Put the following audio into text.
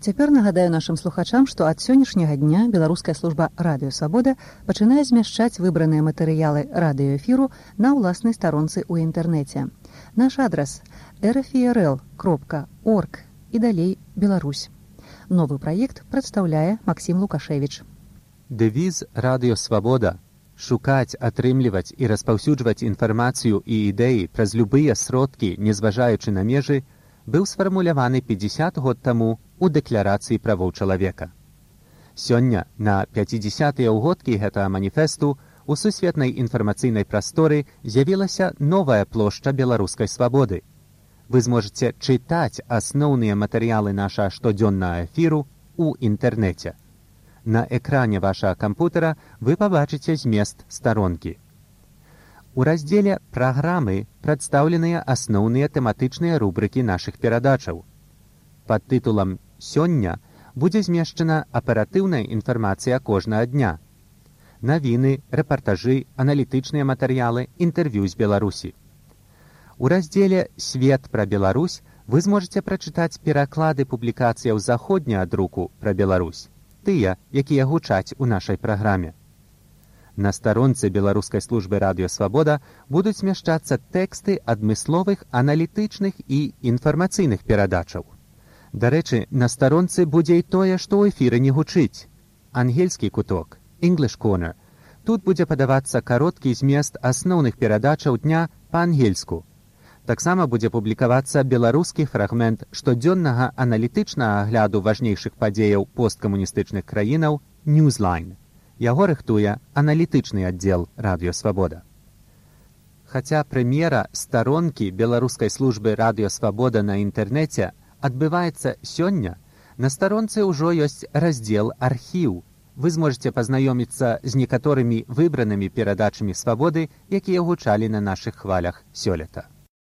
Цяпер нагадаю нашым слухачам, што ад сённяшняга дня беларуская служба «Радыё Свабода» пачынае змяшчаць выбраныя матэрыялы радыёэфіру на ўласнай старонцы ў інтэрнэце. Наш адрас rfirl.org і далей Беларусь. Новы праект прадстаўляе Максім Лукашевіч. Дэвіз «Радыё Свабода» — шукаць, атрымліваць і распаўсюджваць інфармацыю і ідэі праз любыя сродкі, не зважаючы на межы, быў сфармуляваны 50 год таму у Дэкларацыі правоў чалавека. Сёння, на 50-тыя ўгодкі гэтага маніфесту, у сусветнай інфармацыйнай прасторы з'явілася новая плошча беларускай свабоды. Вы зможаце чытаць асноўныя матэрыялы нашага штодзённага эфіру ў інтэрнэце. На экране вашага кампутара вы пабачыце змест старонкі. У раздзеле «Праграмы» прадстаўленыя асноўныя тэматычныя рубрыкі нашых перадачаў. Пад тытулам «Сёння» будзе змешчана аператыўная інфармацыя кожнага дня. Навіны, рэпартажы, аналітычныя матэрыялы, інтэрв'ю з Беларусі. У раздзеле «Свет пра Беларусь» вы зможаце прачытаць пераклады публікацыяў заходняга друку пра Беларусь, тыя, якія гучаць у нашай праграме. На старонцы беларускай службы «Радыё Свабода» будуць змяшчацца тэксты адмысловых аналітычных і інфармацыйных перадачаў. Дарэчы, на старонцы будзе і тое, што ў эфіры не гучыць. Ангельскі куток, English Corner. Тут будзе падавацца кароткі змест асноўных перадачаў дня па-ангельску. Таксама будзе публікавацца беларускі фрагмент штодзённага аналітычнага агляду важнейшых падзеяў посткамуністычных краінаў «Newsline». Яго рыхтуе аналітычны аддзел «Радыё Свабода». Хаця прэм'ера старонкі беларускай службы «Радыё Свабода» на інтэрнэце адбываецца сёння, на старонцы ўжо ёсць раздзел «Архіў». Вы зможаце пазнаёміцца з некаторымі выбранымі перадачамі «Свабоды», якія гучалі на нашых хвалях сёлета.